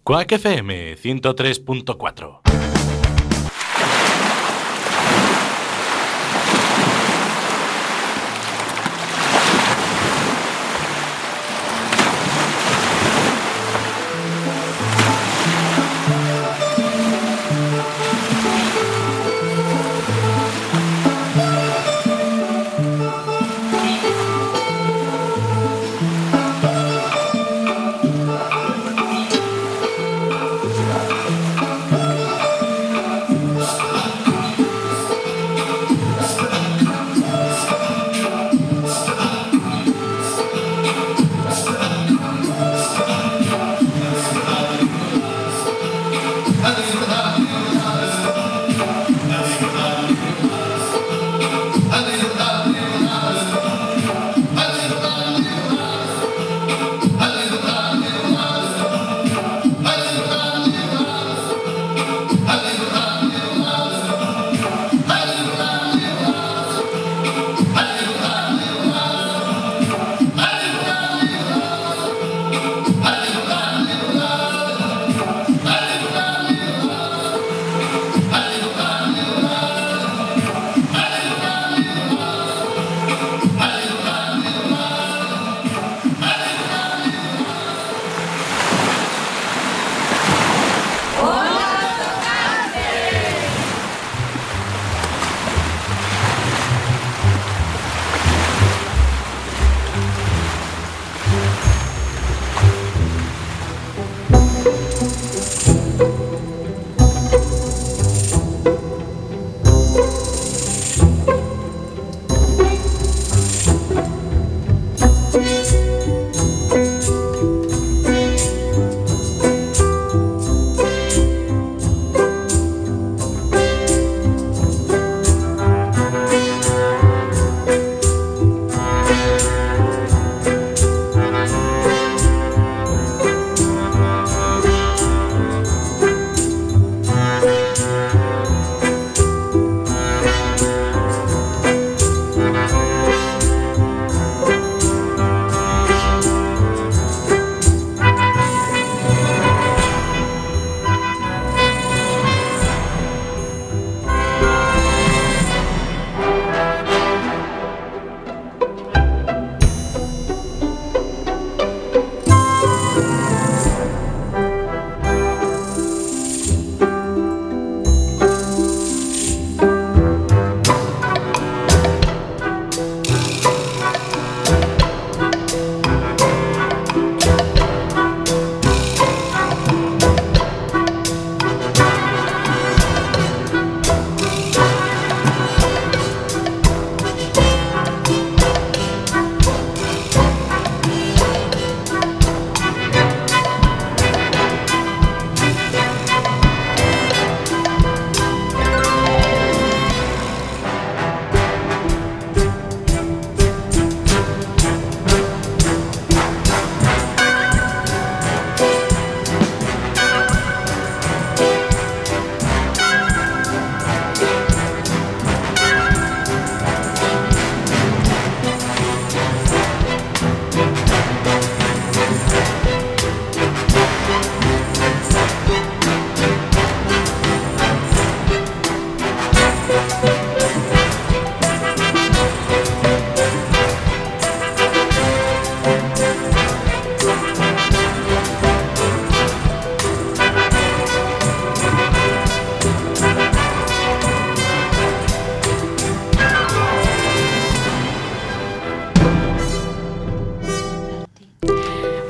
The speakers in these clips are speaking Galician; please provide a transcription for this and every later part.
Quack FM 103.4.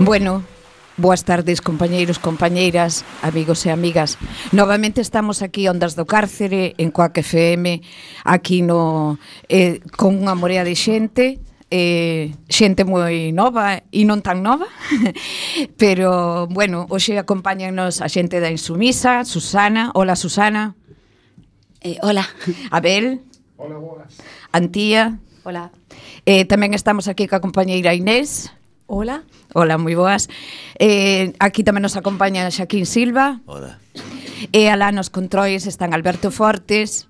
Bueno, boas tardes, compañeiros, compañeiras, amigos e amigas. Novamente estamos aquí Ondas do Cárcere, en Quack FM, aquí no con unha morea de xente, xente moi nova e non tan nova, pero, bueno, hoxe acompáñanos a xente da Insumisa, Susana. Hola, Susana. Hola. Abel. Hola, boas. Antía. Hola. Tamén estamos aquí ca compañeira Inés. Hola. Hola, moi boas. Aquí tamén nos acompaña Xaquín Silva. Hola. E alá nos controis están Alberto Fortes,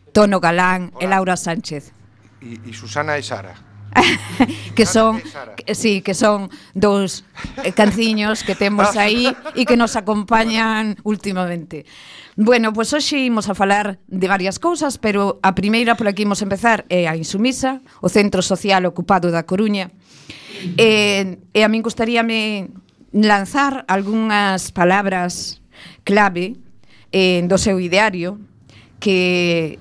Tono Galán. Hola. E Laura Sánchez. E Susana e Sara. que son que son dous canciños que temos aí e que nos acompañan últimamente. Bueno, pois hoxe imos a falar de varias cousas, pero a primeira por aquí imos empezar é a Insumisa, o Centro Social Ocupado da Coruña. E a min gustaríame lanzar algunhas palabras clave do seu ideario, que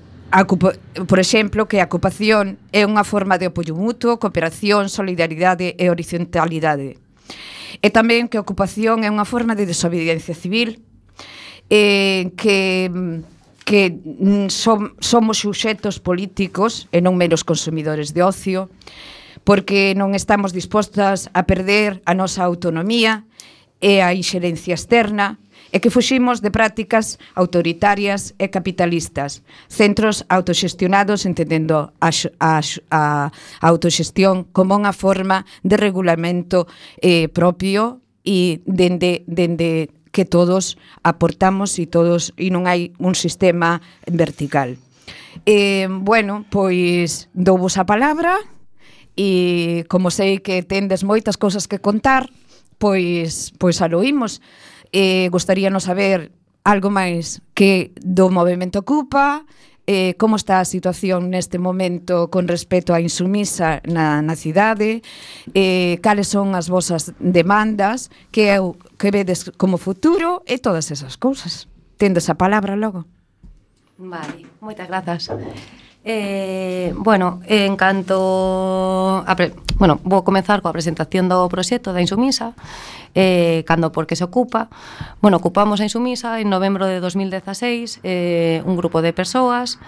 por exemplo, que a ocupación é unha forma de apoio mutuo, cooperación, solidaridade e horizontalidade. E tamén que a ocupación é unha forma de desobediencia civil, que somos suxetos políticos e non meros consumidores de ocio, porque non estamos dispostas a perder a nosa autonomía e a inxerencia externa, e que fuximos de prácticas autoritarias e capitalistas, centros autoxestionados entendendo a autoxestión como unha forma de regulamento propio e dende que todos aportamos e non hai un sistema vertical. Bueno, pois douvos a palabra e como sei que tendes moitas cousas que contar, pois aloímos. Gostaríanos saber algo máis que do movemento Ocupa, como está a situación neste momento con respecto á Insumisa na cidade, cales son as vosas demandas, que vedes como futuro e todas esas cousas. Tendes a palabra logo. Vale, moitas grazas. Bueno, en canto vou comezar coa presentación do proxecto da Insumisa, cando por que se ocupa. Bueno, ocupamos a Insumisa en novembro de 2016, un grupo de persoas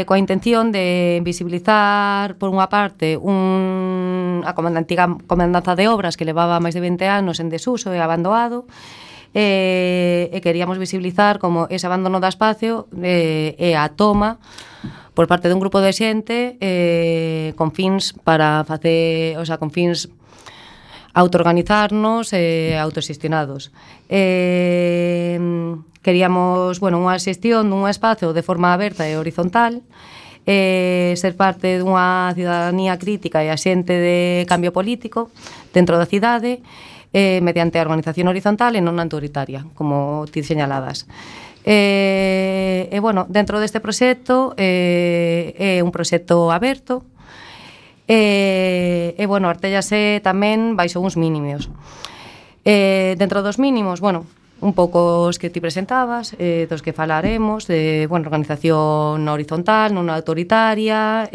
coa intención de visibilizar, por unha parte, a antiga comandanza de obras que levaba máis de 20 anos en desuso e abandonado, e queríamos visibilizar como ese abandono da espacio e a toma por parte dun grupo de xente con fins para facer, con fins autoorganizarnos e autoxestionados. Queríamos, unha xestión dun espazo de forma aberta e horizontal, ser parte dunha cidadanía crítica e axente de cambio político dentro da cidade, mediante a organización horizontal e non autoritaria, como ti señaladas. Dentro deste proxecto é un proxecto aberto, artéllase tamén baixo uns mínimos. Dentro dos mínimos, un pouco os que ti presentabas, dos que falaremos, de organización horizontal, non autoritaria,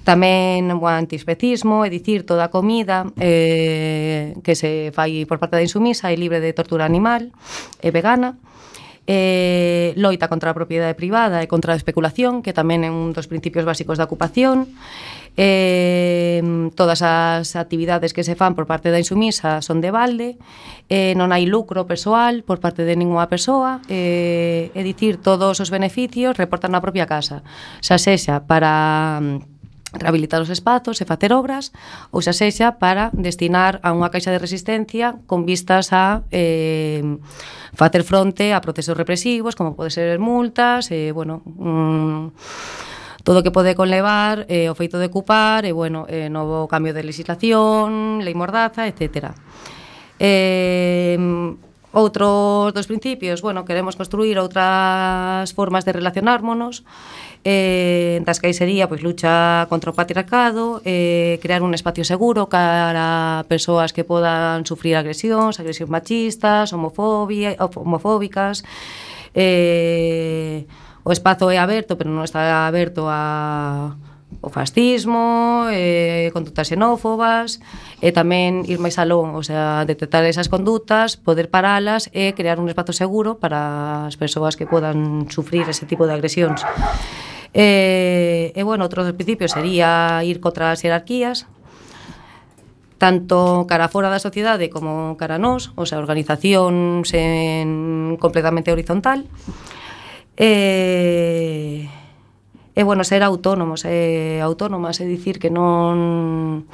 tamén o antiespecismo, é dicir, toda a comida que se fai por parte da Insumisa é libre de tortura animal, é vegana, loita contra a propiedade privada e contra a especulación, que tamén é un dos principios básicos da ocupación. Todas as actividades que se fan por parte da Insumisa son de balde, non hai lucro persoal por parte de ninguna persoa, é dicir, todos os beneficios reportan na propia casa, xa sexa para rehabilitar os espazos e facer obras, ou xa sexa para destinar a unha caixa de resistencia con vistas a facer fronte a procesos represivos, como pode ser multas, todo o que pode conlevar o feito de ocupar, novo cambio de legislación, lei mordaza, etc. Outros dos principios, queremos construir outras formas de relacionármonos, das que aí sería lucha contra o patriarcado, crear un espacio seguro para persoas que podan sufrir agresións machistas, homofóbicas. O espazo é aberto, pero non está aberto ao fascismo, condutas xenófobas, e tamén ir máis alón, detectar esas condutas, poder paralas e crear un espazo seguro para as persoas que podan sufrir ese tipo de agresións. Outro dos principios sería ir contra as jerarquías, tanto cara fora da sociedade como cara nós, organización completamente horizontal. Ser autónomos e autónomas, é dicir, que non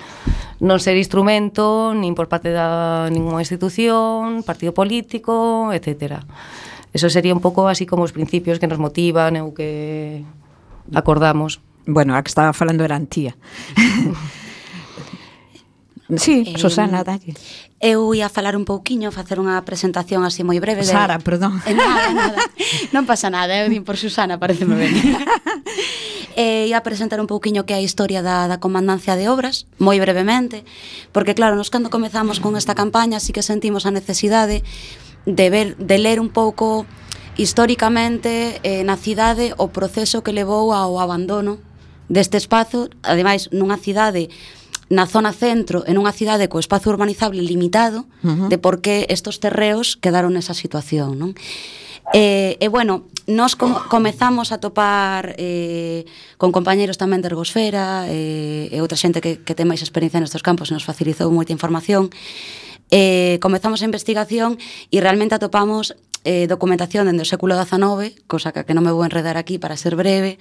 ser instrumento nin por parte da ninguna institución, partido político, etc. Eso sería un pouco así como os principios que nos motivan e o que acordamos Bueno, a que estaba falando era a Antía. Sí, Susana, dalle. Eu ia falar un pouquiño, facer unha presentación así moi breve. Sara, perdón. Nada. Non pasa nada, eu din por Susana, pareceme ben. Ia presentar un pouquiño que é a historia da Comandancia de Obras, moi brevemente, porque claro, nos cando comezamos con esta campaña sí que sentimos a necesidade de ler un pouco históricamente na cidade o proceso que levou ao abandono deste espazo, ademais nunha cidade na zona centro, en unha cidade co espazo urbanizable limitado, de por que estos terreos quedaron nesa situación, non? Bueno, nos comezamos a topar con compañeros tamén de Ergosfera e outra xente que ten máis experiencia nestes campos e nos facilitou moita información. Comezamos a investigación e realmente atopamos documentación dende o século XIX, cosa que non me vou enredar aquí para ser breve.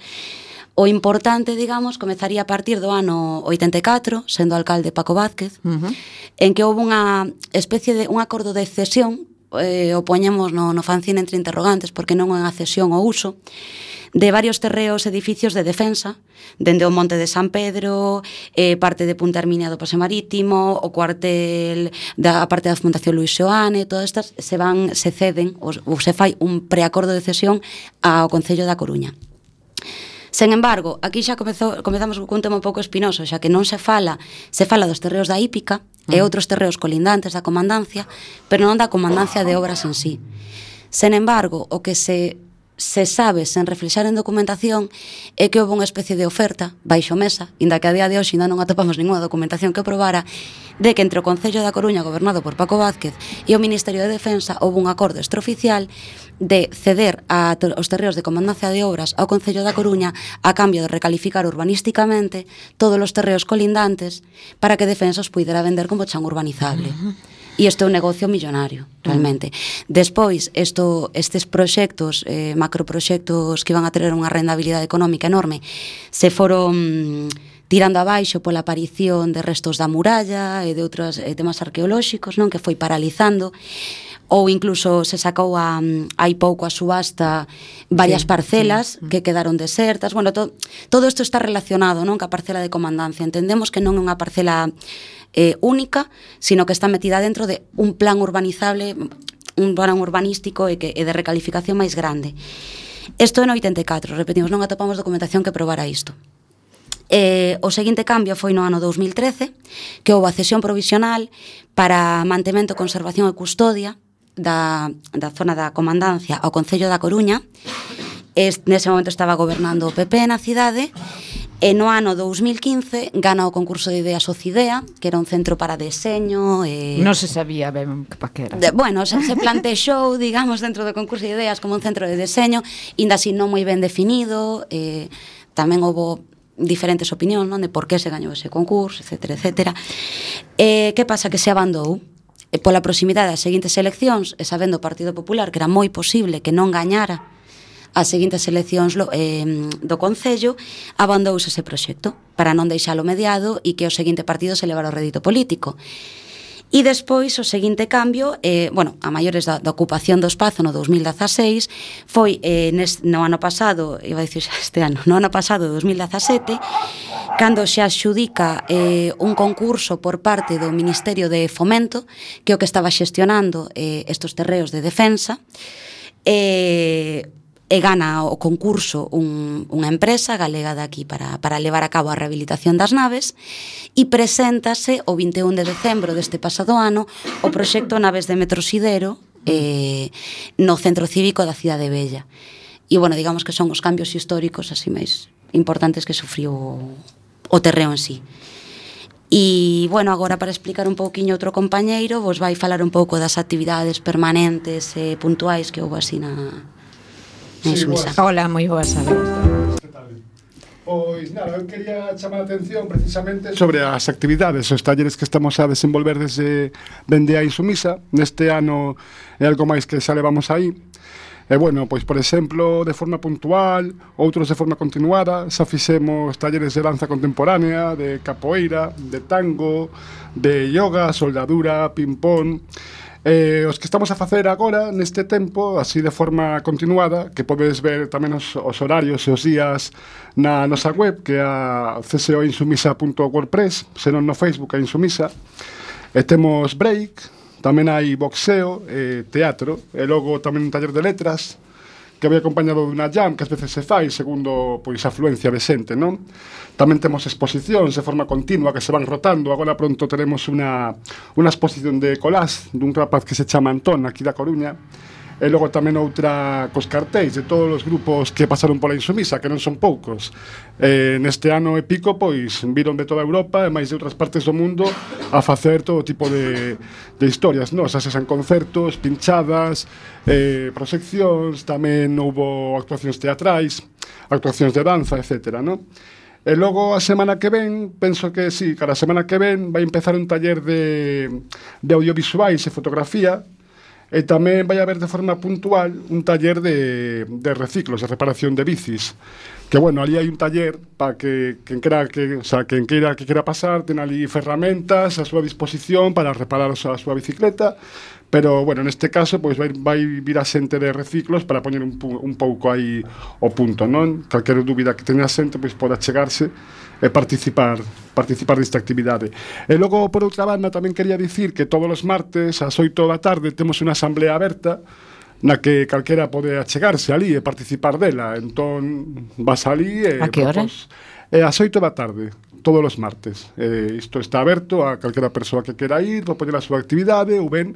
O importante, digamos, comezaría a partir do ano 84, sendo alcalde Paco Vázquez, en que houve unha especie de un acordo de cesión, o poñemos no fanzine entre interrogantes, porque non é unha cesión ou uso, de varios terreos edificios de defensa, dende o Monte de San Pedro, parte de Punta Herminia do Paseo Marítimo, o cuartel da parte da Fundación Luis Xoane, todas estas se ceden ou se fai un preacordo de cesión ao Concello da Coruña. Sen embargo, aquí xa comezamos cun tema un pouco espinoso, xa que non se fala dos terreos da hípica e outros terreos colindantes da comandancia, pero non da comandancia de obras en sí. Sen embargo, o que se sabe sen reflexar en documentación é que houve unha especie de oferta baixo mesa, inda que a día de hoxe ainda non atopamos ninguna documentación que probara, de que entre o Concello da Coruña gobernado por Paco Vázquez e o Ministerio de Defensa houve un acordo extraoficial de ceder os terreos de comandancia de obras ao Concello da Coruña a cambio de recalificar urbanísticamente todos os terreos colindantes para que Defensa os puidera vender como chan urbanizable. E isto é un negocio millonario, realmente. Despois, estes proxectos, macroproxectos que iban a ter unha rendabilidade económica enorme, se foron tirando abaixo pola aparición de restos da muralla e de outros temas arqueolóxicos, non, que foi paralizando, ou incluso se sacou hai pouco a subasta varias parcelas que quedaron desertas. Bueno, todo isto está relacionado, non, ca parcela de comandancia. Entendemos que non é unha parcela única, sino que está metida dentro de un plan urbanizable, un plan urbanístico e de recalificación máis grande. Isto é no 84, repetimos, non atopamos documentación que probara isto. O seguinte cambio foi no ano 2013, que houve a cesión provisional para mantemento, conservación e custodia da zona da comandancia ao Concello da Coruña. Nese momento estaba gobernando o PP na cidade, e no ano 2015 gana o concurso de ideas Ocidea, que era un centro para deseño. Non se sabía ben para que era. Bueno, se plantexou, digamos, dentro do concurso de ideas como un centro de deseño, ainda así non moi ben definido. Tamén houve diferentes opinións, non, de por que se gañou ese concurso, etcétera, etcétera. Que pasa? Que se abandou. Pola proximidade das seguintes eleccións, e sabendo o Partido Popular que era moi posible que non gañara as seguintes eleccións do Concello, abandouse ese proxecto para non deixalo mediado e que o seguinte partido se levara o rédito político. E despois o seguinte cambio, a maiores da ocupación do espazo no 2016, foi no ano pasado, iba a dicir xa este ano, no ano pasado, 2017, cando se adxudica un concurso por parte do Ministerio de Fomento, que é o que estaba xestionando estos terreos de defensa, e gana o concurso unha empresa galega de aquí para levar a cabo a rehabilitación das naves, e preséntase o 21 de decembro deste pasado ano o proxecto Naves de Metrosidero no Centro Cívico da Cidade Bella. E, bueno, digamos que son os cambios históricos así máis importantes que sufriu o terreo en sí. E, bueno, agora para explicar un pouquiño outro compañeiro, vos vai falar un pouco das actividades permanentes e puntuais que houve así na Insumisa. Hola, moi boas tardes. Pois nada, eu quería chamar a atención precisamente sobre as actividades, os talleres que estamos a desenvolver dende a Insumisa. Neste ano é algo máis que xa levamos aí. E, bueno, pois, por exemplo, de forma puntual, outros de forma continuada, xa fixemos talleres de danza contemporánea, de capoeira, de tango, de yoga, soldadura, ping-pong. Os que estamos a facer agora neste tempo, así de forma continuada, que podedes ver tamén os horarios e os días na nosa web, que é a csoinsumisa.wordpress, senón no Facebook a Insumisa. E temos break, tamén hai boxeo, teatro, e logo tamén un taller de letras, que vai acompañado dunha jam que ás veces se fai segundo pois a afluencia de xente, non? Tamén temos exposicións de forma continua que se van rotando. Agora pronto teremos unha exposición de collage dun rapaz que se chama Antón, aquí da Coruña, e logo tamén outra cos cartéis de todos os grupos que pasaron pola Insumisa, que non son poucos. Neste ano e pico, pois, viron de toda Europa e máis de outras partes do mundo a facer todo tipo de historias, non? Xa sean concertos, pinchadas, proxeccións, tamén houbo actuacións teatrais, actuacións de danza, etc., non? E logo a semana que ven, penso que sí, cara a semana que ven vai empezar un taller de audiovisuais e fotografía. E tamén vai haber de forma puntual un taller de reciclos, de reparación de bicis. Que, bueno, ali hai un taller para que quen queira pasar, ten ali ferramentas a súa disposición para reparar a súa bicicleta, pero, bueno, neste caso, pois vai vir a xente de reciclos para poñer un pouco aí o punto, non? Calquera dúbida que teña a xente, pois poda chegarse e participar desta actividade. E logo, por outra banda, tamén quería dicir que todos os martes, ás 8 da tarde, temos unha asamblea aberta na que calquera pode achegarse ali e participar dela. Entón, vas ali e... A que hora? Ás 8 da tarde, todos os martes. Isto está aberto a calquera persoa que quera ir, para poñer a súa actividade ou ben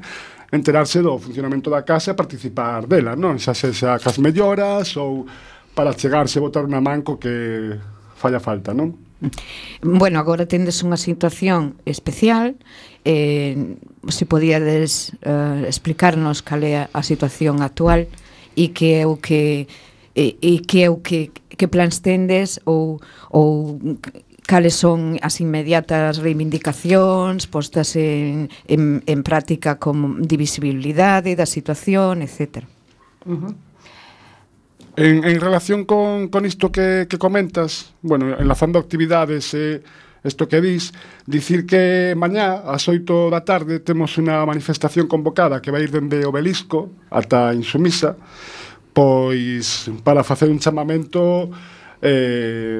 enterarse do funcionamento da casa e participar dela, non? Xa sexa cas melloras ou para chegarse e botar unha manco que falla falta, non? Bueno, agora tendes unha situación especial. Se podíades explicarnos cal é a situación actual e que é o que plans tendes ou cales son as inmediatas reivindicacións postas en práctica como divisibilidade da situación, etc. En relación con isto que comentas, bueno, enlazando actividades isto que dicir que mañá ás 8 da tarde temos unha manifestación convocada que vai ir dende Obelisco ata Insumisa, pois para facer un chamamento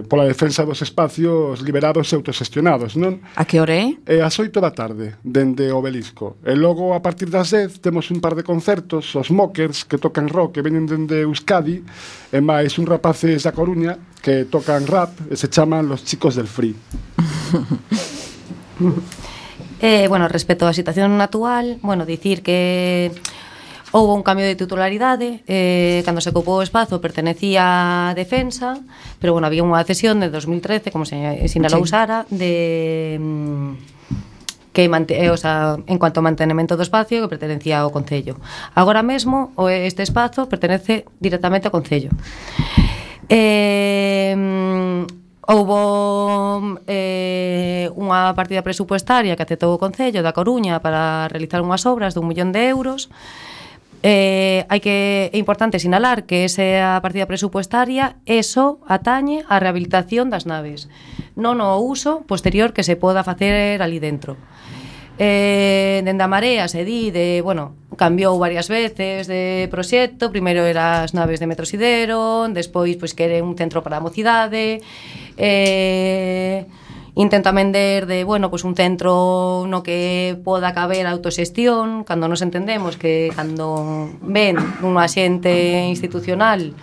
pola defensa dos espacios liberados e autoxestionados, non? A que hora é? Ás 8 da tarde, dende Obelisco. E logo, a partir das 10, temos un par de concertos, os Mockers, que tocan rock, que veñen dende Euskadi, e máis un rapaces da Coruña, que tocan rap, e se chaman Los Chicos del Free. Bueno, respecto á situación actual, bueno, dicir que houve un cambio de titularidade, cando se ocupou o espazo pertenecía a Defensa, pero bueno, había unha cesión de 2013, como se sinalou Sara, de o sea, en cuanto ao mantenimento do espacio que pertenecía ao Concello. Agora mesmo este espazo pertenece directamente ao Concello. Houbo unha partida presupuestaria que aceptou o Concello da Coruña para realizar unhas obras de 1 millón de euros. É importante sinalar que esa partida presupuestaria só atañe a rehabilitación das naves, non o uso posterior que se poda facer ali dentro. Dende a Marea se di cambiou varias veces de proxecto. Primeiro era as naves de Metrosidero, despois pois quere un centro para a mocidade, intenta vender un centro no que poda caber a autoxestión, cando nos entendemos que cando ven un axente institucional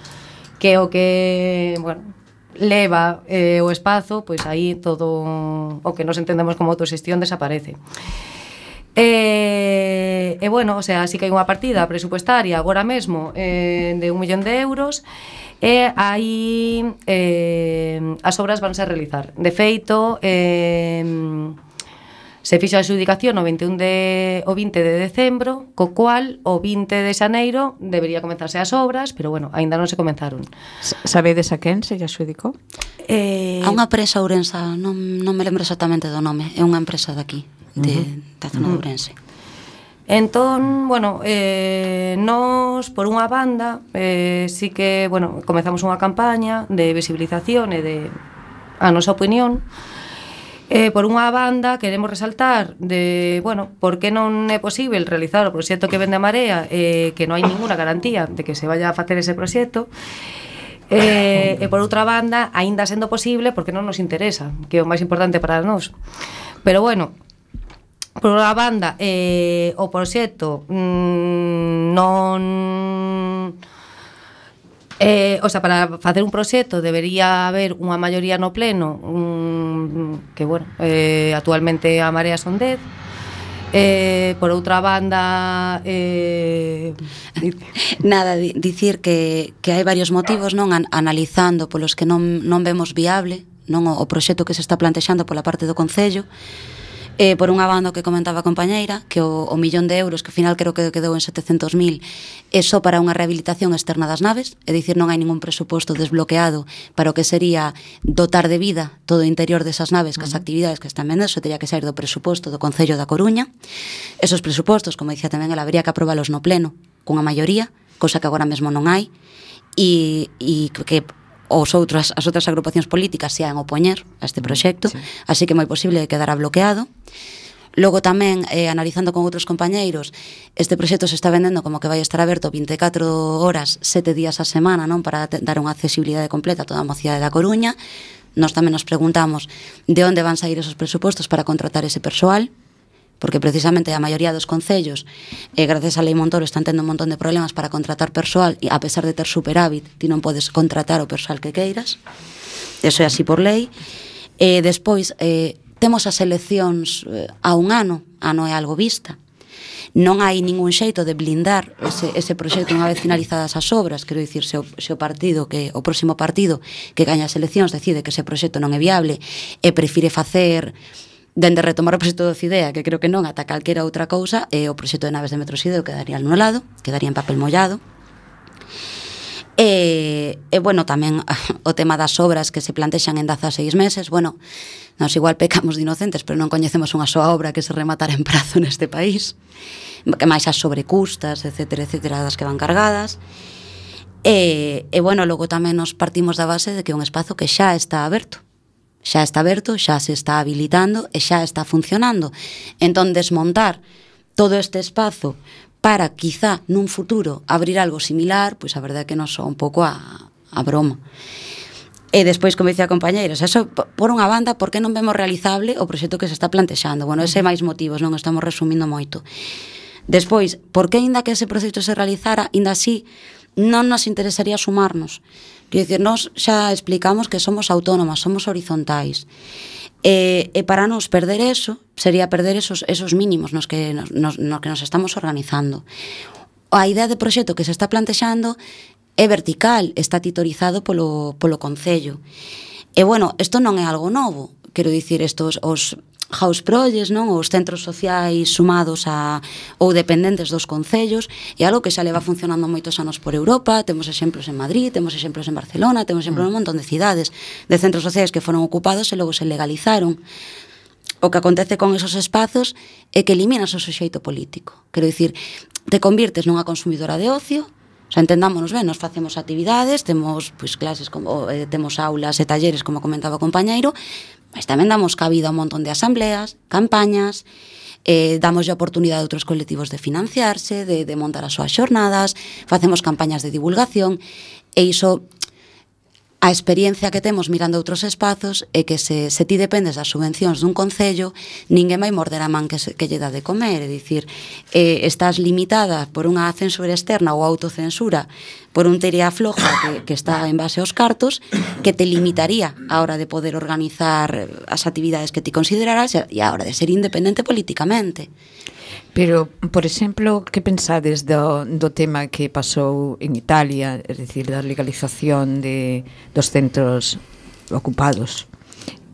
que o que, leva o espazo, pois aí todo o que nos entendemos como autoxestión desaparece. Sí que hai unha partida presupuestaria agora mesmo de 1 millón de euros. E aí as obras vanse a realizar. De feito, se fixo a adxudicación o 20 de decembro, co cual o 20 de xaneiro debería comenzarse as obras, pero aínda non se comenzaron. Sabedes a quen se lle adxudicou? A unha empresa ourensa, non me lembro exactamente do nome, é unha empresa daqui, da zona de Ourense. Entón, nós, por unha banda, sí que, comezamos unha campaña de visibilización e de a nosa opinión, Por unha banda, queremos resaltar de, bueno, por que non é posible realizar o proxecto que vende a Marea, que non hai ninguna garantía de que se vaya a facer ese proxecto. E por outra banda, aínda sendo posible, porque non nos interesa, que é o máis importante para nós. Pero bueno, por unha banda, o proxecto non... o sea, para facer un proxecto debería haber unha maioría no pleno, que, bueno, actualmente a Marea son 10. Por outra banda, nada, dicir que hai varios motivos, non, analizando polos que non vemos viable, non, o proxecto que se está plantexando pola parte do Concello. Por unha banda que comentaba a compañeira, que o millón de euros, que ao final creo que quedou en 700.000, é só para unha rehabilitación externa das naves, é dicir, non hai ningún presuposto desbloqueado para o que sería dotar de vida todo o interior desas naves, que as actividades que están vendendo, eso teria que sair do presuposto do Concello da Coruña. Esos presupostos, como dicía tamén, habría que aprobalos no pleno, cunha maioría, cousa que agora mesmo non hai, e que as outras agrupacións políticas se han opoñer a este proxecto, sí. Así que é moi posible que quedara bloqueado. Logo tamén, analizando con outros compañeiros, este proxecto se está vendendo como que vai estar aberto 24 horas, 7 días a semana, non, para dar unha accesibilidade completa a toda a mocidade da Coruña. Nós tamén nos preguntamos de onde van sair esos presupostos para contratar ese persoal, porque precisamente a maioría dos concellos, gracias á Lei Montoro, están tendo un montón de problemas para contratar persoal, e a pesar de ter superávit, ti non podes contratar o persoal que queiras. Eso é así por lei. Despois, temos as eleccións a un ano é algo vista. Non hai ningún xeito de blindar ese proxecto unha vez finalizadas as obras. Quero dicir, se o partido, que o próximo partido que gaña as eleccións decide que ese proxecto non é viable e prefire facer dende retomar o proxecto do Cidea, que creo que non, ata calquera outra cousa, o proxecto de naves de Metrosideo quedaría anulado, quedaría en papel mollado. Bueno, tamén o tema das obras que se plantexan en 16 meses, bueno, nos igual pecamos de inocentes, pero non coñecemos unha soa obra que se rematara en prazo neste país, que máis as sobrecustas, etcétera, das que van cargadas. Bueno, logo tamén nos partimos da base de que é un espazo que xa está aberto, xa se está habilitando e xa está funcionando. Entón, desmontar todo este espazo para, quizá, nun futuro, abrir algo similar, pois a verdade é que nos soa un pouco a broma. E despois, como dicía a compañeira, eso, por unha banda, por que non vemos realizable o proxecto que se está plantexando? Bueno, ese máis motivos, non estamos resumindo moito. Despois, por que, ainda que ese proxecto se realizara, ainda así, non nos interesaría sumarnos? Quer dizer, nós xa explicamos que somos autónomas, somos horizontais. E para nos perder eso, sería perder esos mínimos nos que nos estamos organizando. A idea de proxecto que se está plantexando é vertical, está titorizado polo Concello. E, bueno, isto non é algo novo. Quero dicir, estos, os house projects, non, os centros sociais sumados ou dependentes dos concellos, é algo que xa leva funcionando moitos anos por Europa. Temos exemplos en Madrid, temos exemplos en Barcelona, temos exemplos en un montón de cidades de centros sociais que foron ocupados e logo se legalizaron. O que acontece con esos espazos é que eliminas o suxeito político. Quero dicir, te convirtes nunha consumidora de ocio. O sea, entendámonos ben, nos facemos actividades, temos clases, temos aulas e talleres, como comentaba o compañeiro, mas tamén damos cabida a un montón de asambleas, campañas, damos a oportunidade a outros colectivos de financiarse, de montar as súas xornadas, facemos campañas de divulgación, e iso, a experiencia que temos mirando outros espazos é que se ti dependes das subvencións dun concello, ninguén vai morder a man que lle dá de comer, é dicir, estás limitada por unha censura externa ou autocensura por un terea floja que está en base aos cartos, que te limitaría a hora de poder organizar as actividades que ti considerarás e a hora de ser independente políticamente. Pero, por exemplo, que pensades do tema que pasou en Italia, é dicir, da legalización dos centros ocupados?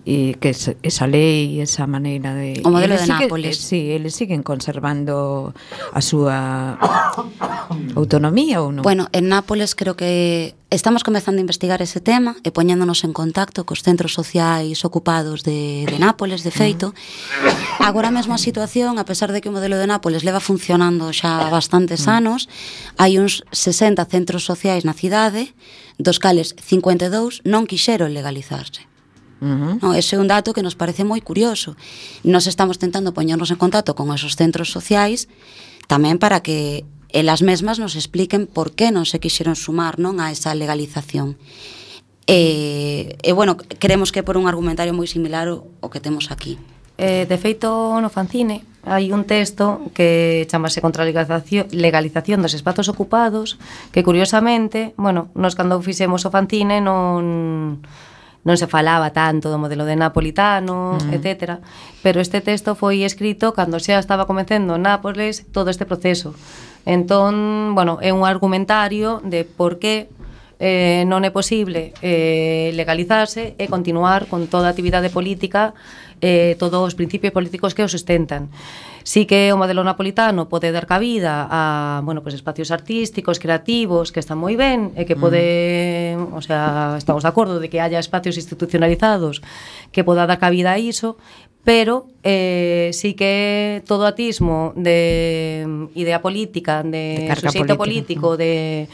E que esa lei, esa maneira de... O modelo de Nápoles. Sí, eles siguen conservando a súa autonomía ou non? Bueno, en Nápoles creo que estamos comezando a investigar ese tema e poñéndonos en contacto cos centros sociais ocupados de Nápoles, de feito. Agora mesmo a situación, a pesar de que o modelo de Nápoles leva funcionando xa bastantes anos, hai uns 60 centros sociais na cidade, dos cales 52 non quixeron legalizarse. No, ese é un dato que nos parece moi curioso. Nos estamos tentando poñernos en contacto con esos centros sociais tamén para que elas mesmas nos expliquen por que non se quixeron sumar, non, a esa legalización. Bueno, creemos que por un argumentario moi similar o que temos aquí. De feito, no fanzine hai un texto que chamase Contra a legalización dos espazos ocupados, que curiosamente, bueno, nos cando fixemos o fanzine non se falaba tanto do modelo de Napolitano, etcétera, pero este texto foi escrito cando xa estaba comecendo Nápoles todo este proceso. Entón, bueno, é un argumentario de por que non é posible legalizarse e continuar con toda a actividade política, todos os principios políticos que o sustentan. Sí que o modelo napolitano pode dar cabida a, bueno, pues espacios artísticos, creativos, que están moi ben e que pode, o sea, estamos de acordo de que haya espacios institucionalizados que poda dar cabida a iso, pero sí que todo atismo de idea política, de suxeito político, de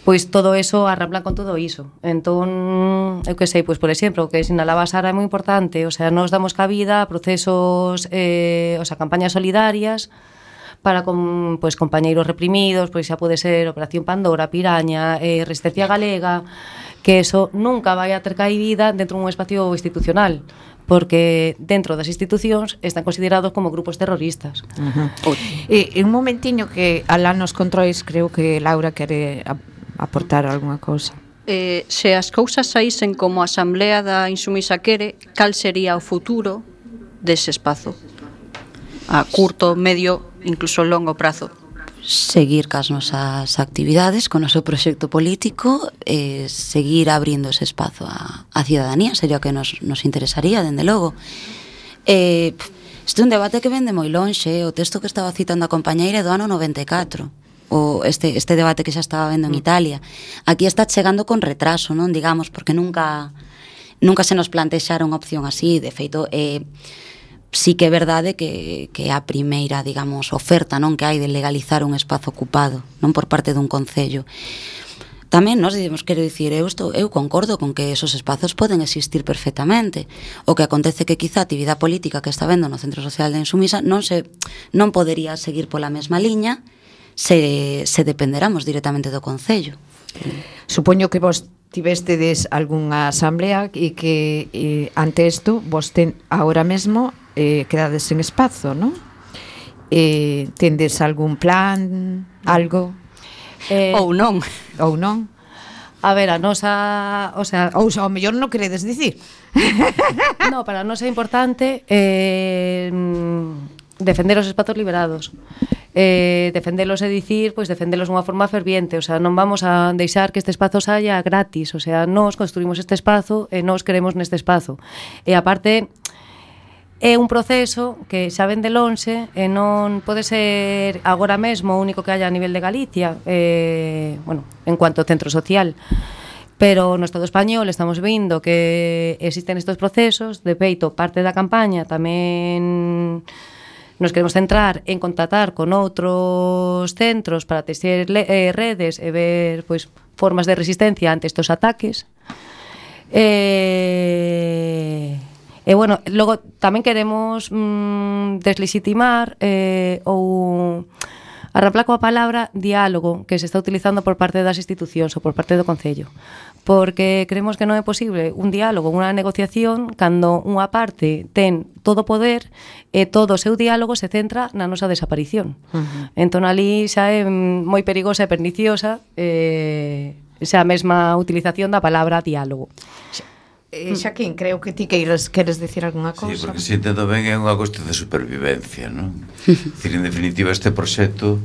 pois todo eso arramblan con todo iso. Entón, eu que sei, pois por exemplo, o que sinalaba Sara é moi importante, o sea, nos damos cabida a procesos, o sea, campañas solidarias para con, pois, compañeiros reprimidos, pois xa pode ser Operación Pandora, Piraña, Resistencia Galega, que eso nunca vai a ter caída dentro dun espacio institucional, porque dentro das institucións están considerados como grupos terroristas. Un momentiño que alá nos controis, creo que Laura quere aportar algunha cousa. Se as cousas saísen como a Asamblea da Insumisa quere, cal sería o futuro dese espazo? A curto, medio, incluso longo prazo. Seguir cas nosas actividades, con o noso proxecto político, seguir abrindo ese espazo a cidadanía, sería o que nos interesaría, dende logo. Este é un debate que vende moi lonxe, o texto que estaba citando a compañeira é do ano 94, o este debate que xa estaba vendo en Italia. Aquí está chegando con retraso, non, digamos, porque nunca se nos plantexara unha opción así. De feito, sí que é verdade que a primeira, digamos, oferta, non, que hai de legalizar un espazo ocupado, non, por parte dun concello. Tamén nos dicimos, quero dicir, eu concordo con que esos espazos poden existir perfectamente. O que acontece que quizá a actividade política que está vendo no Centro Social de Insumisa non podería seguir pola mesma liña se dependeramos directamente do concello. Supoño que vos tivestedes algunha asamblea e que ante isto vos ahora mesmo quedades sen espazo, non? Tendes algún plan, algo? Ou non. Ou non? A ver, a nosa, o sea, ou ao mellor non queredes dicir. No, para nós é importante defender os espazos liberados. Defendelos é dicir, pois defendelos dunha forma ferviente, o sea, non vamos a deixar que este espazo saia gratis, o sea, nós construímos este espazo e nós queremos neste espazo. E aparte é un proceso que xa ven de lonxe e non pode ser agora mesmo o único que haya a nivel de Galicia, bueno, en cuanto ao centro social. Pero no Estado español estamos vendo que existen estes procesos, de feito, parte da campaña tamén nos queremos centrar en contactar con outros centros para texer redes e ver, pois, formas de resistencia ante estes ataques. E bueno, logo tamén queremos deslegitimar ou arraplar coa palabra diálogo que se está utilizando por parte das institucións ou por parte do Concello, porque creemos que non é posible un diálogo, unha negociación cando unha parte ten todo o poder e todo o seu diálogo se centra na nosa desaparición. Entón ali xa é moi perigosa e perniciosa xa a mesma utilización da palabra diálogo. Xaquín, creo que ti queres dicir algunha cousa. Sí, porque se entendo ben é unha cuestión de supervivencia, non? Dicir, en definitiva, ese proxecto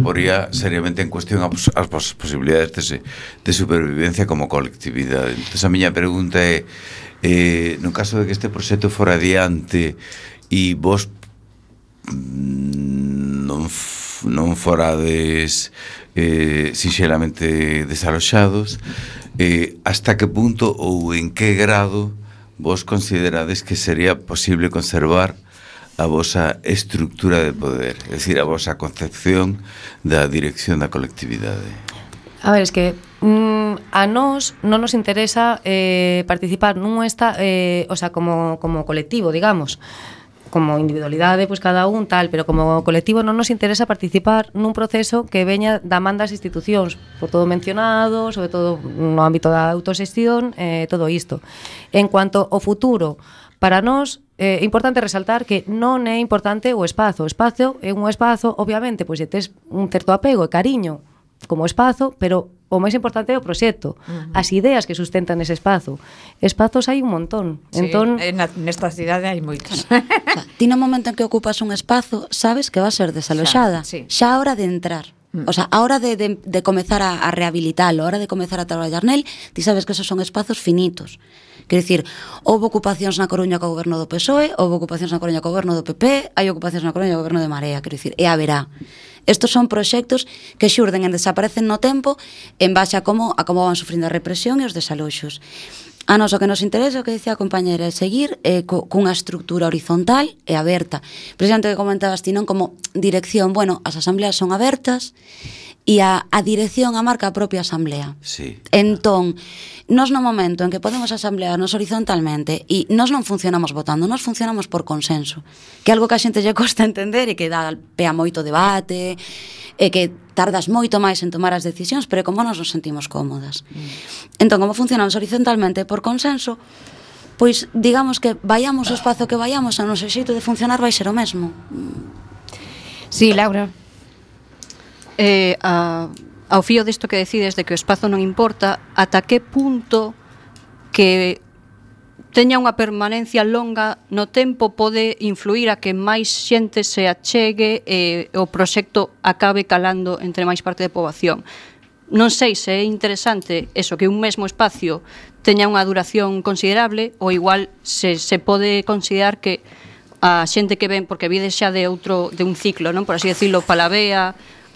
poría seriamente en cuestión as posibilidades de supervivencia como colectividade. Entón, a miña pregunta é, no caso de que este proxecto fora adiante e vos non forades sinxelamente desaloxados, hasta que punto ou en que grado vos considerades que sería posible conservar a vosa estructura de poder, é dicir, a vosa concepción da dirección da colectividade? A ver, es que a nós non nos interesa participar nun o sea, como colectivo, digamos. Como individualidade, pois cada un tal, pero como colectivo non nos interesa participar nun proceso que veña da man das institucións, por todo mencionado, sobre todo no ámbito da autoxestión, todo isto. En cuanto ao futuro, para nós é importante resaltar que non é importante o espazo. O espazo é un espazo, obviamente, pois se tes un certo apego e cariño como espazo, pero o máis importante é o proxecto, as ideas que sustentan ese espazo. Espazos hai un montón. Sí, entón, nesta cidade hai moitos. Ti no momento en que ocupas un espazo, sabes que va a ser desaloxada. Xa, sí. Xa a hora de entrar. O sea, a hora de comezar a rehabilitalo, a hora de comezar a traballar nel, ti sabes que esos son espazos finitos. Quer dicir, houve ocupacións na Coruña co goberno do PSOE, houve ocupacións na Coruña co goberno do PP, hai ocupacións na Coruña co goberno de Marea, quer dicir, e haberá. Estos son proxectos que xurden e desaparecen no tempo en base a como van sufrindo a represión e os desaloxos. A nos o que nos interesa, o que dicía a compañera, é seguir cunha estructura horizontal e aberta. Precisamente que comentabas ti, non como dirección, bueno, as asambleas son abertas e a dirección a marca a propia asamblea. Sí. Entón, nos no momento en que podemos asamblearnos horizontalmente e nos non funcionamos votando, nos funcionamos por consenso, que é algo que a xente lle costa entender e que dá pé a moito debate e que tardas moito máis en tomar as decisións, pero como nos sentimos cómodas. Entón, como funcionamos horizontalmente por consenso, pois digamos que vayamos o espazo que vayamos, o noso xeito de funcionar vai ser o mesmo. Sí, Laura. Ao fío disto que decides de que o espazo non importa, ata que punto que teña unha permanencia longa no tempo pode influir a que máis xente se achegue e o proxecto acabe calando entre máis parte da poboación. Non sei se é interesante eso, que un mesmo espacio teña unha duración considerable, ou igual se pode considerar que a xente que ven, porque vides xa de un ciclo, non, por así decirlo, Palavea,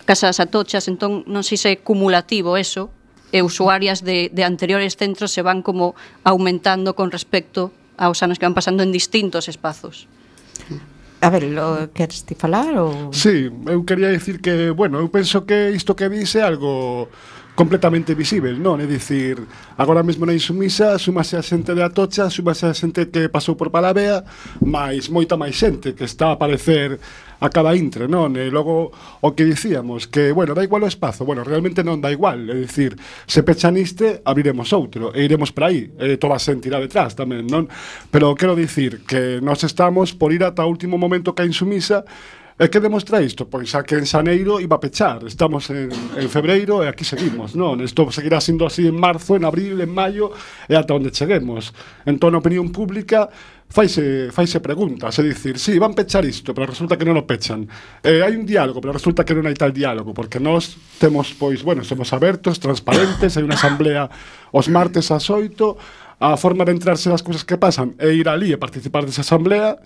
Casas Atochas, entón non sei se é cumulativo eso, e usuarias de anteriores centros se van como aumentando con respecto aos anos que van pasando en distintos espazos. A ver, queres ti falar? Ou... Sí, eu quería dicir que, bueno, eu penso que isto que vise é algo completamente visível, non? É dicir, agora mesmo na Insumisa súmase a xente de Atocha, súmase a xente que pasou por Palavea, máis moita máis xente que está a aparecer a cada intre, non? E logo o que dicíamos, que, bueno, dá igual o espazo, bueno, realmente non dá igual, é dicir, se pechan este, abriremos outro, e iremos para aí, e toda a xente irá detrás tamén, non? Pero quero dicir que nós estamos por ir ata o último momento que a Insumisa. E que demostra isto? Pois a que en xaneiro iba a pechar. Estamos en febreiro e aquí seguimos, non? Isto seguirá sendo así en marzo, en abril, en maio e ata onde cheguemos. Entón, a opinión pública faise preguntas, é dicir, sí, van pechar isto, pero resulta que non o pechan. Hai un diálogo, pero resulta que non hai tal diálogo, porque nós temos, pois, bueno, somos abertos, transparentes, hai unha asamblea os martes ás 8, a forma de entrarse das cousas que pasan é ir ali e participar desa asamblea.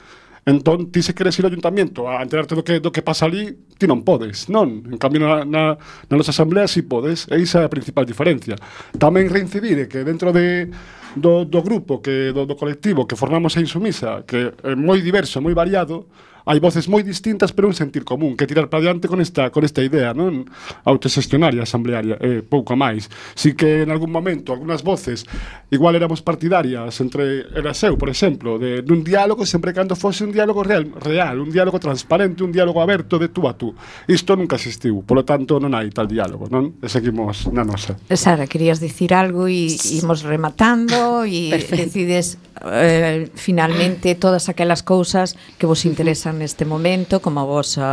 Entón, ti se queres ir ao ayuntamiento a enterarte do que pasa ali, ti non podes, non? En cambio, na nosa asamblea si podes, e iso é a principal diferencia. Tamén reincidir que dentro do grupo, do colectivo que formamos a Insumisa, que é moi diverso, moi variado, hai voces moi distintas, pero un sentir común, que tirar para diante con esta idea, non? Autoxestionaria, asamblearia, pouco máis. Si que en algún momento, algunhas voces, igual éramos partidarias entre eu, por exemplo, dun diálogo, sempre cando fose un diálogo real, un diálogo transparente, un diálogo aberto de tú a tú. Isto nunca existiu, polo tanto non hai tal diálogo, non? E seguimos na nosa. Sara, querías dicir algo e imos rematando e decides finalmente todas aquelas cousas que vos interesan neste momento, como o vosso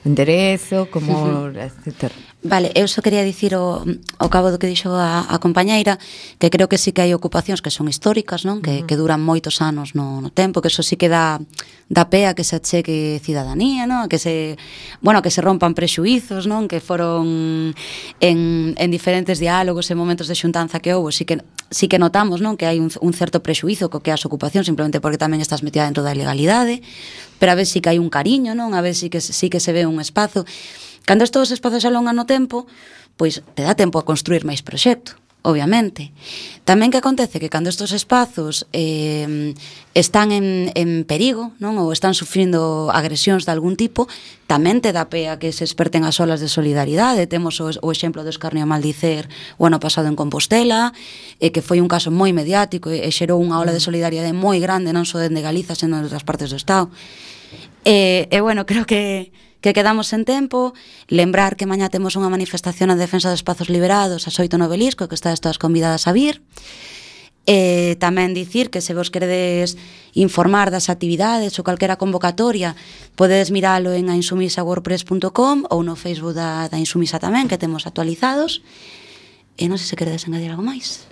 enderezo, como etcétera. Vale, eu só quería dicir ao cabo do que dixo a compañeira que creo que sí que hai ocupacións que son históricas, non? Que duran moitos anos no tempo, que eso sí que dá pé a que se achegue cidadanía, non? Que se rompan prexuízos, non? Que foron en diferentes diálogos e momentos de xuntanza que houve, sí que notamos, non? Que hai un certo prexuízo co que as ocupacións, simplemente porque tamén estás metida dentro da ilegalidade, pero a ver sí que hai un cariño, non? A ver sí que se ve un espazo. Cando estes espazos se alongan no tempo, pois te dá tempo a construir máis proxecto. obviamente. Tamén que acontece que cando estes espazos están en perigo, non, ou están sufrindo agresións de algún tipo, tamén te dá pé a que se esperten as olas de solidaridade. Temos o exemplo do escarnio a maldicer o ano pasado en Compostela, que foi un caso moi mediático e xerou unha ola de solidaridade moi grande, non só dende Galiza, senón de outras partes do Estado. Bueno, creo que quedamos en tempo. Lembrar que mañá temos unha manifestación en defensa dos espazos liberados ás 8 no Obelisco, que estades todas convidadas a vir. Tamén dicir que se vos queredes informar das actividades ou calquera convocatoria, podedes miralo en ainsumisawordpress.com ou no Facebook da Insumisa tamén, que temos actualizados. E non sei se queredes engadir algo máis.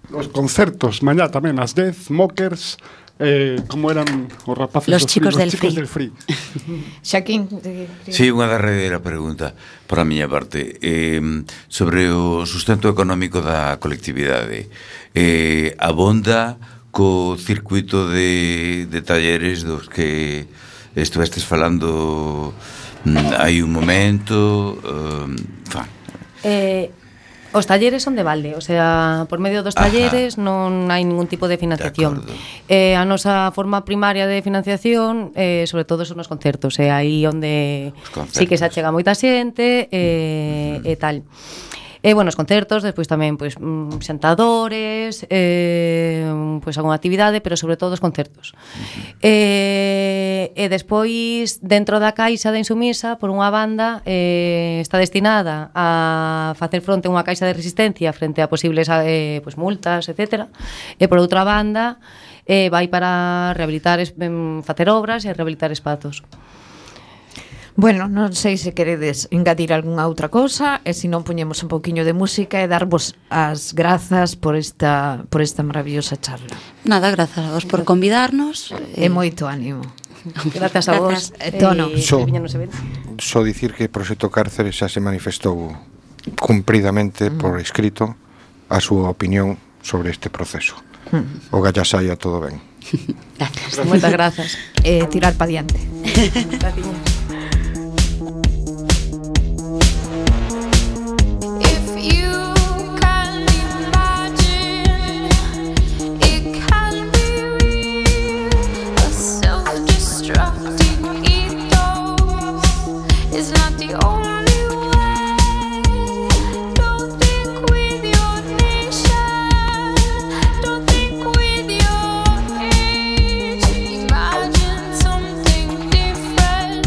Os concertos, mañá tamén ás 10, Mockers, como eran os rapaces Los chicos del Free. Xaquín. Sí, unha derradeira pregunta por a miña parte sobre o sustento económico da colectividade. Abonda co circuito de talleres dos que estuvestes falando hai un momento. Os talleres son de balde, o sea, por medio dos talleres non hai ningún tipo de financiación. A nosa forma primaria de financiación, sobre todo son os concertos, é aí onde sí que se achega moita xente e tal. Bueno, os concertos, despois tamén pois xantadores, pois algunha actividade, pero sobre todo os concertos. E despois, dentro da caixa da Insumisa, por unha banda, está destinada a facer fronte a unha caixa de resistencia frente a posibles pois multas, etc. E por outra banda, vai para rehabilitar, facer obras e rehabilitar espazos. Bueno, non sei se queredes engadir algunha outra cousa, e se non poñemos un pouquiño de música e darvos as grazas por esta maravillosa charla. Nada, grazas a vos por convidarnos. E moito ánimo. Grazas a vos. Tono. Só dicir que o Proxecto Cárcere xa se manifestou cumpridamente por escrito a súa opinión sobre este proceso. O galla saia todo ben. Gracias. Moitas grazas. Tirar pa diante. Gracias. Imagine something different.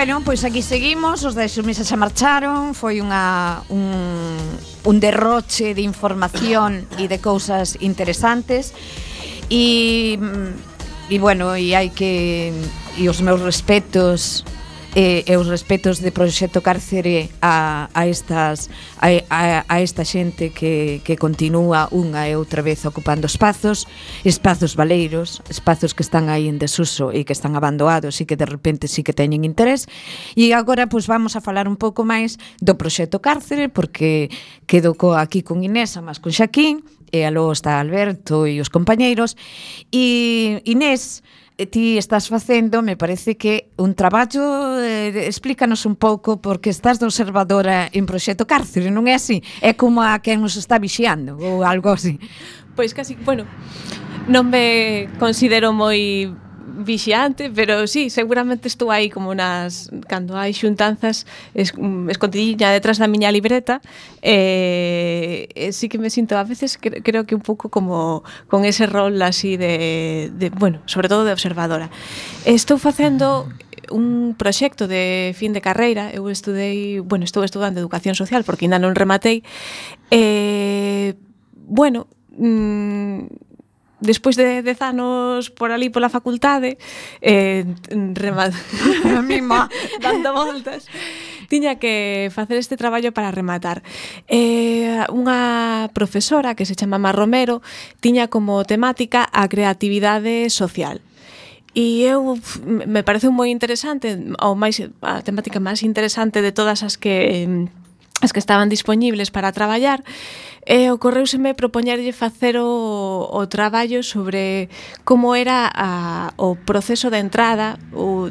Bueno, pois aquí seguimos, os da Insumisa xa marcharon, foi un derroche de información e de cousas interesantes e bueno, e hai que e os meus respetos e os respetos de Proxecto Cárcere a esta xente que continúa unha e outra vez ocupando espazos baleiros, espazos que están aí en desuso e que están abandonados e que de repente sí que teñen interés. E agora pois vamos a falar un pouco máis do Proxecto Cárcere, porque quedo aquí con Inés, a máis con Xaquín, e aló está Alberto e os compañeiros. E Inés, ti estás facendo, me parece que un traballo, explícanos un pouco, porque estás de observadora en Proxecto Cárcere, non é así? É como a quen nos está vixiando ou algo así. Pois casi, bueno, non me considero moi vixiante, pero sí, seguramente estou aí como cando hai xuntanzas escondidiña detrás da miña libreta, sí que me sinto a veces, creo que un pouco como con ese rol así de bueno, sobre todo de observadora. Estou facendo un proxecto de fin de carreira. Eu estou estudando Educación Social porque ainda non rematei. Bueno, despois de 10 anos por ali pola facultade, dando voltas, tiña que facer este traballo para rematar. Unha profesora que se chama Mar Romero tiña como temática a creatividade social. E me parece moi interesante, a temática máis interesante de todas as que estaban dispoñibles para traballar, ocorreuseme propoñerlle facer o traballo sobre como era o proceso de entrada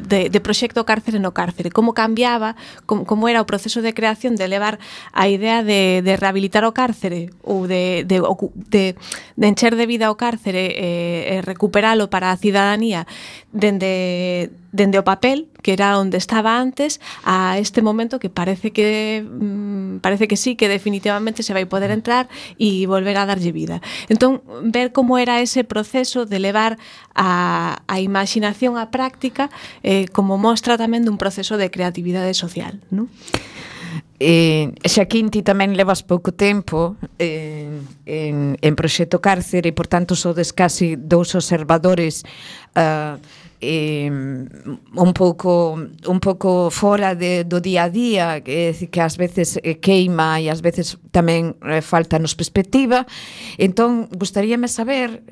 de Proxecto Cárcere no cárcere, como cambiaba, como era o proceso de creación de levar a idea de rehabilitar o cárcere ou de encher de vida o cárcere e recuperalo para a cidadanía dende o papel, que era onde estaba antes, a este momento que parece que sí, que definitivamente se vai poder entrar e volver a darlle vida. Entón, ver como era ese proceso de levar a imaginación á práctica, como mostra tamén dun proceso de creatividade social, non? Xaquín, ti tamén levas pouco tempo en Proxecto Cárcere e, por tanto, sodes casi dous observadores un pouco fora do día a día, que ás veces queima e ás veces tamén faltanos perspectiva. Entón, gustaríame saber,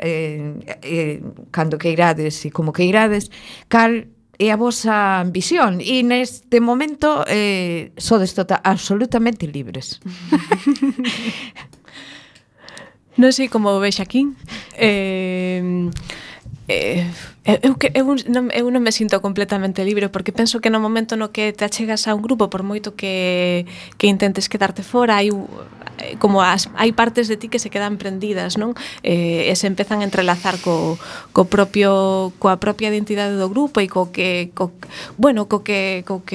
cando queirades e como queirades, cal é a vosa visión, e neste momento sodes absolutamente libres. Non sei como ve Xaquín. Eu non me sinto completamente libre, porque penso que no momento no que te achegas a un grupo, por moito que intentes quedarte fora, hai partes de ti que se quedan prendidas, non? E se empezan a entrelazar coa propia identidade do grupo e co que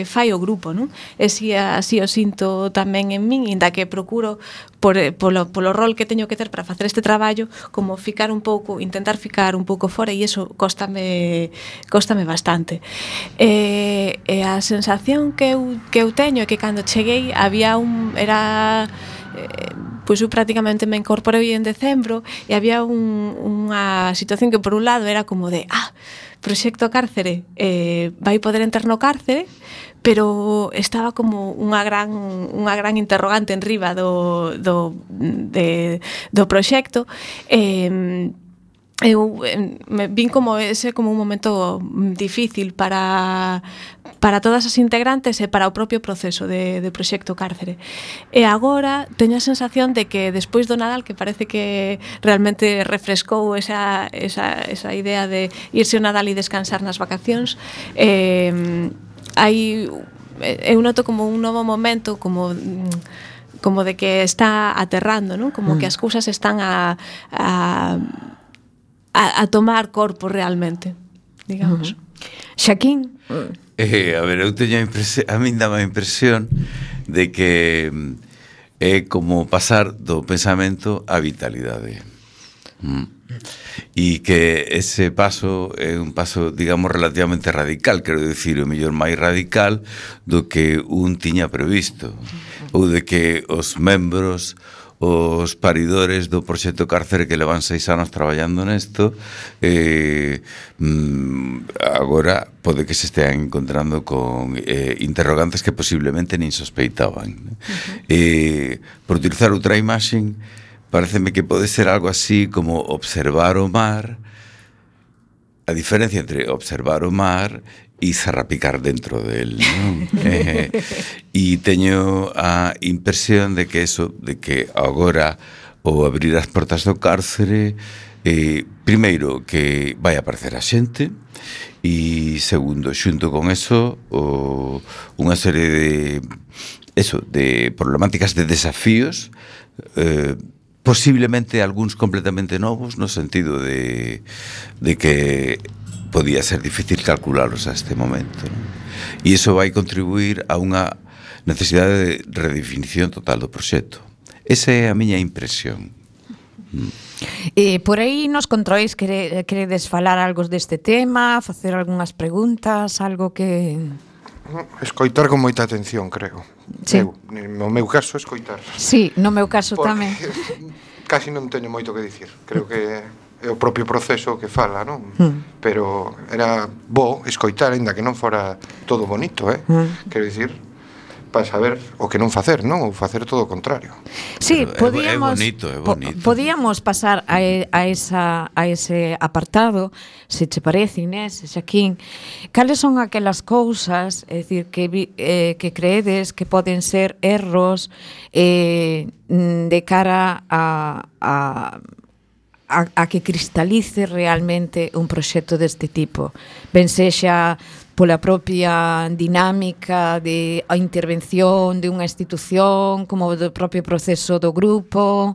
fai o grupo, non? E así o sinto tamén en min, inda que procuro polo rol que teño que ter para facer este traballo, como intentar ficar un pouco fora, e iso cóstame bastante. E a sensación que eu teño é que cando cheguei pois eu prácticamente me incorporei en decembro e había unha situación que por un lado era como de Proxecto Cárcere vai poder entrar no cárcere, pero estaba como unha gran interrogante enriba do proxecto. Eu me vin como un momento difícil para todas as integrantes e para o propio proceso de Proxecto Cárcere. E agora teño a sensación de que despois do Nadal, que parece que realmente refrescou esa idea de irse o Nadal e descansar nas vacacións, eu noto como un novo momento, como de que está aterrando, non? Como que as cousas están a tomar corpo realmente, digamos. Xaquín? A ver, eu teño a min dá a impresión de que é como pasar do pensamento á vitalidade. e que ese paso é un paso, digamos, relativamente radical, quero dicir, o mellor máis radical do que un tiña previsto, ou de que os membros, os paridores do proxecto Cárcere que levan 6 anos traballando nesto, agora pode que se estean encontrando con interrogantes que posiblemente nin sospeitaban. Por utilizar outra imaxe, pareceme que pode ser algo así como observar o mar, a diferencia entre observar o mar e zarrapicar dentro del, non? E teño a impresión de que eso, de que agora o abrir as portas do Cárcere, primeiro que vai aparecer a xente, e segundo, xunto con eso, unha serie de problemáticas, de desafíos, posiblemente algúns completamente novos, no sentido de que podía ser difícil calcularlos a este momento, non? E iso vai contribuir a unha necesidade de redefinición total do proxecto. Esa é a miña impresión. Por aí nos controis queredes falar algo deste tema, facer algunhas preguntas, algo que... Escoitar con moita atención, creo. Sí. No meu caso, escoitar. Sí, no meu caso tamén. Casi non teño moito que dicir. Creo que é o propio proceso que fala, non? Pero era bo escoitar, ainda que non fora todo bonito, quero dicir, para saber o que non facer, non? Ou facer todo o contrario. Sí, podíamos, é bonito. Podíamos pasar a ese apartado, se che parece, Inés, Xaquín, cales son aquelas cousas, é dicir, que creedes que poden ser erros de cara a que cristalice realmente un proxecto deste tipo, ben sexa pola propia dinámica de a intervención de unha institución, como do propio proceso do grupo.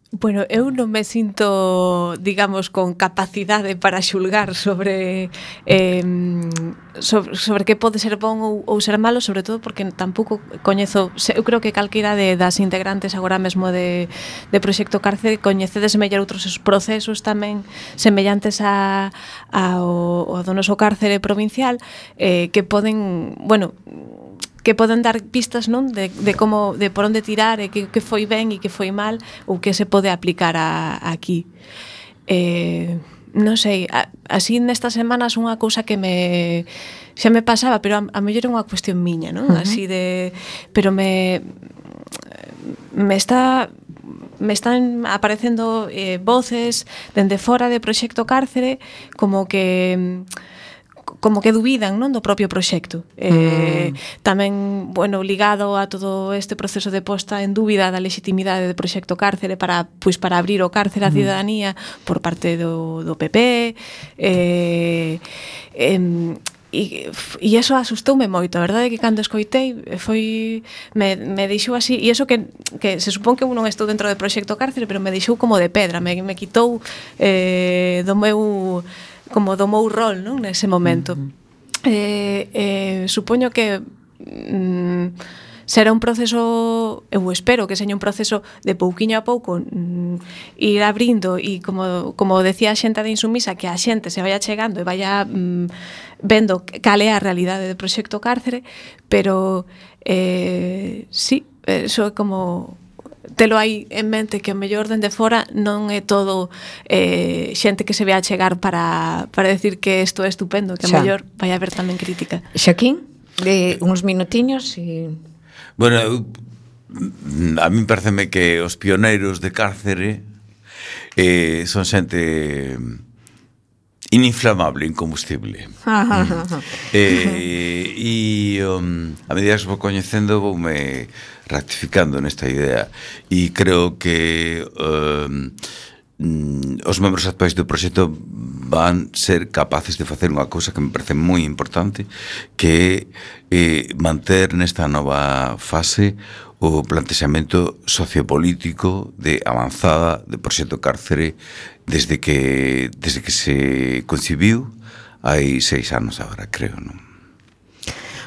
Bueno, eu non me sinto, digamos, con capacidade para xulgar sobre que pode ser bon ou ser malo, sobre todo porque tampouco coñezo, eu creo que calquera das integrantes agora mesmo de Proxecto Cárcere coñecedes mellor outros procesos tamén semellantes ao do noso cárcere provincial, que poden, bueno, que poden dar pistas, non, de como, de por onde tirar, e que foi ben e que foi mal, ou que se pode aplicar aquí. Non sei, así nestas semanas unha cousa que xa me pasaba, pero a mellor é unha cuestión miña, non? Así de, pero me están aparecendo voces dende fora de Proxecto Cárcere como que dubidan, non, do propio proxecto. Tamén, bueno, ligado a todo este proceso de posta en dúbida da legitimidade do Proxecto Cárcere para abrir o cárcere á cidadanía por parte do PP, e eso asustoume moito. A verdade é que cando escoitei me deixou así, e eso que se supón que eu non estou dentro do Proxecto Cárcere, pero me deixou como de pedra, me quitou do meu rol, non, nese momento. Supoño que será un proceso, eu espero que seña un proceso de pouquiño a pouco, ir abrindo, e como decía a xente de Insumisa, que a xente se vaya chegando e vaya vendo cal é a realidade do Proxecto Cárcere, pero sí, eso é como telo aí en mente, que o mellor dende fora non é todo xente que se ve a chegar para decir que isto é estupendo, que o mellor vai haber tamén crítica. Xaquín, de uns minutiños e... Bueno, a mí pareceme que os pioneiros de Cárcere son xente ininflamable, incombustible. E a medida que vou coñecendo voume rectificando nesta idea, e creo que os membros actuais do proxecto van ser capaces de facer unha cousa que me parece moi importante, que é manter nesta nova fase o plantexamento sociopolítico de avanzada do proxecto Cárcere desde que se concibiu hai 6 anos agora, creo, non?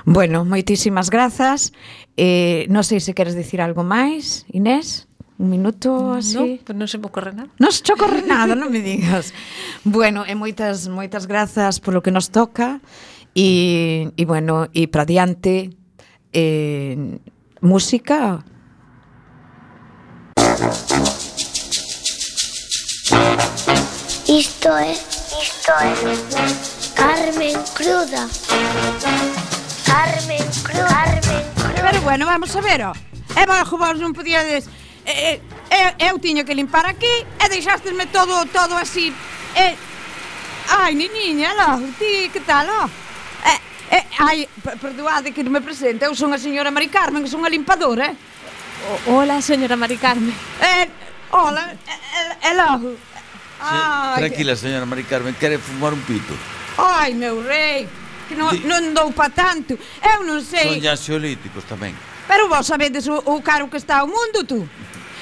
Bueno, moitísimas grazas. Non sei se queres dicir algo máis, Inés. Un minuto así? No, pues non se me ocorre nada. Non se te ocorre nada, non me digas. Bueno, e moitas grazas polo que nos toca e bueno, e para diante música. Isto é Carmen Cruda. Carmen Cruda. Pero bueno, vamos a ver, ó. E vos non podíades... eu tiño que limpar aquí e deixástesme todo así. Ai, niña, lo, ti, que tal, ó? Ai, perdoade que non me presente. Eu son a señora Mari Carmen, que son a limpadora. Hola, señora Mari Carmen. Hola, logo. Tranquila, señora Mari Carmen, quere fumar un pito? Ai, meu rei, que non dou pa tanto. Eu non sei... Son ansiolíticos tamén. Pero vos sabedes o caro que está o mundo, tú?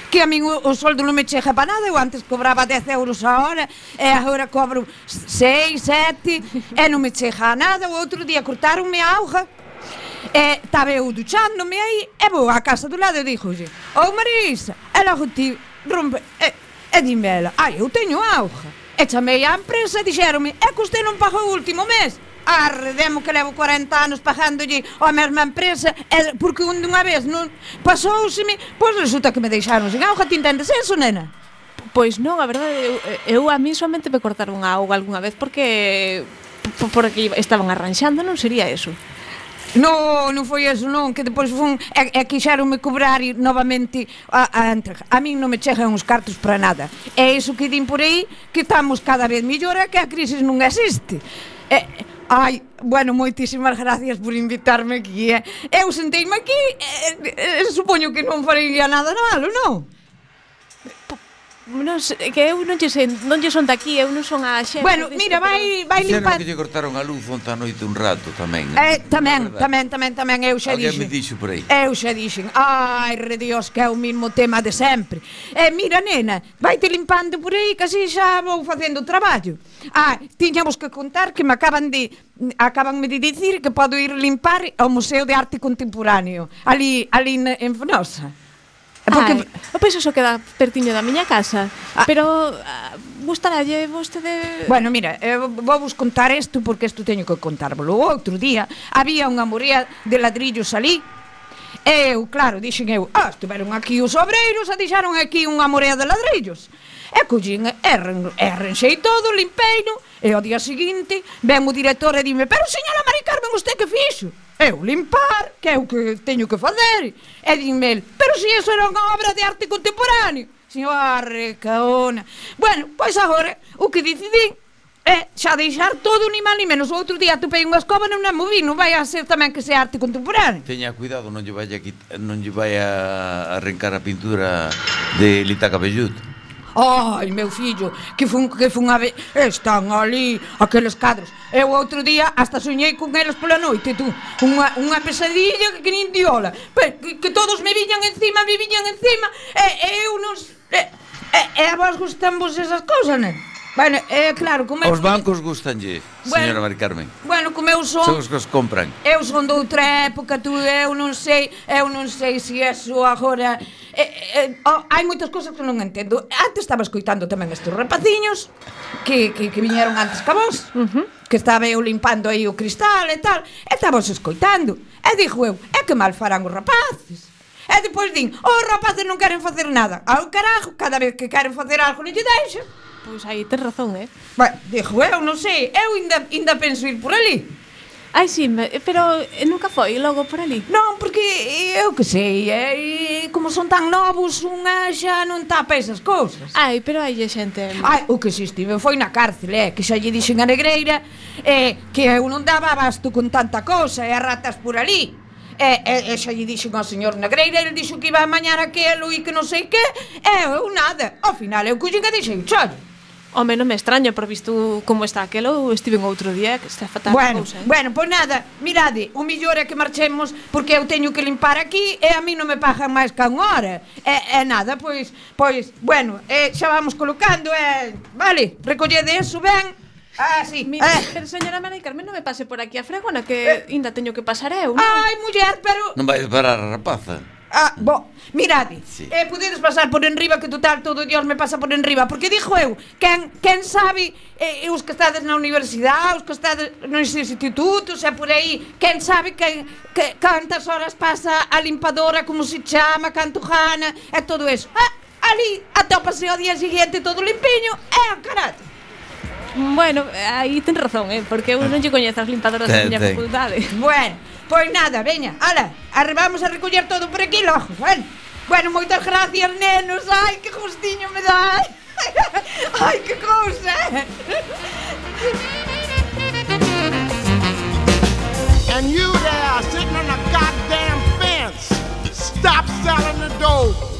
Que a min o soldo non me chega para nada. Eu antes cobraba 10 euros a hora e agora cobro 6, 7 e non me chega a nada. O outro día cortaronme a auga e estaba eu duchándome aí e vou á casa do lado e dixolle: "Oh, Marisa", e logo ti rompe e dime ela: "Ai, eu teño auga". E chamei á empresa e dixéronme: "É que usted non pagou o último mes". Arredemo que levo 40 anos pagándolle a mesma empresa e porque unha vez non pasouseme, pois resulta que me deixaron sin auga. Ti entendes eso, nena? Pois non, a verdade, eu a mí somente me cortaron a auga algunha vez porque estaban arranxando, non sería eso. Non foi eso, non, que depois quixeronme cobrar novamente a entrega. A min non me chegan uns cartos para nada. É iso que din por aí, que estamos cada vez mellor e que a crisis non existe. Ai, bueno, moitísimas gracias por invitarme aquí. Eu senteime aquí, supoño que non faría nada malo, non? Non sei, que eu non lle son daqui, eu non son a xente. Bueno, mira, vai limpar. Dixeron que lle cortaron a luz onta noite un rato tamén. Tamén, eu xa dixen. Alguén me dixo por aí. Eu xa dixen. Ai, redios, que é o mesmo tema de sempre. Mira, nena, vaite limpando por aí, que así xa vou facendo o traballo. Tiñamos que contar que acabanme de dicir que podo ir limpar ao Museo de Arte Contemporáneo, ali en Fenosa. Pois iso queda pertiño da miña casa. Pero gustarálle vostede... Bueno, mira, vou vos contar isto porque isto teño que contárvolo. O outro día había unha morea de ladrillos ali. Eu, claro, dixen eu, estiveron aquí os obreiros e deixaron aquí unha morea de ladrillos. E collín, arranxei todo, limpeino. E ao día seguinte ven o director e dime: "Pero señora Mari Carmen, usted que fixo?" Eu limpar, que é o que teño que fazer. E dime el: "Pero se iso era unha obra de arte contemporáneo." Señora caona. Bueno, pois agora o que decidí é xa deixar todo ni mal ni menos. O outro día topei unha escoba e non a moví. Non vai a ser tamén que sea arte contemporáneo. Teña cuidado, non lle vai a arrancar a pintura de Lita Cabellut. Ai, meu fillo, que fun a ver. Están ali aqueles cadros. Eu outro día hasta soñei con eles pola noite, tú. Unha pesadilla que nin diola. Que todos me viñan encima. E eu non... E a vos gustan vos esas cousas, nen? Bueno, claro, como Os bancos gustanlle, señora Mari Carmen. Bueno, como eu son... Son os que os compran. Eu son de outra época, tú, eu non sei se eso agora... hai moitas cousas que non entendo. Antes estaba escoitando tamén estes rapaciños que viñeron antes que vos, que estaba eu limpando aí o cristal e tal, e estaba os escoitando. E dixo eu: "É que mal farán os rapaces." E depois din: "Os rapaces non queren facer nada." Ao carajo, cada vez que queren facer algo non lle deixan. Pois aí tes razón, Bueno, dixo eu, non sei, eu ainda penso ir por ali. Ai, sí, pero nunca foi logo por ali. Non, porque eu que sei, como son tan novos, unha xa non tapa esas cousas. Ai, pero hai xente... O que si estive foi na cárcel, que xa lle dixen a negreira que eu non daba abasto con tanta cousa e as ratas por ali. E xa lle dixen ao señor negreira, ele dixo que iba a mañar aquelo e que non sei que, e eu nada. Ao final eu collín e dixen: "Chollo." Home, non me extraño, por visto como está aquelo, estive outro día, que está fatal a cousa. Bueno, pois nada, mirade, o millor é que marchemos porque eu teño que limpar aquí e a mí non me pagan máis que unha hora. E nada, pois, bueno, xa vamos colocando, vale, recollede eso, ben. Sí. Pero señora Mari Carmen, non me pase por aquí a fregona, que ainda teño que pasar eu, non? Ai, muller, pero... Non vai parar a rapaza. Mirade, podedes pasar por enriba, que total todo Dios me pasa por enriba, porque dixo eu, quen sabe, os que estades na universidade, os que estades nos institutos, e por aí, quen sabe cantas horas pasa a limpadora, como se chama, canto gana, e todo eso. Ali atópase ao día siguiente todo limpiño, a carate. Bueno, aí ten razón, porque eu non lle coñezo as limpadoras da miña facultade. Bueno, pois nada, veña, ala, vamos a recoller todo por aquí logo, bueno, moitas gracias, nenos, ai, que gustiño me dá, ai, que cousa. And you there, sitting on a goddamn fence, stop selling the dope.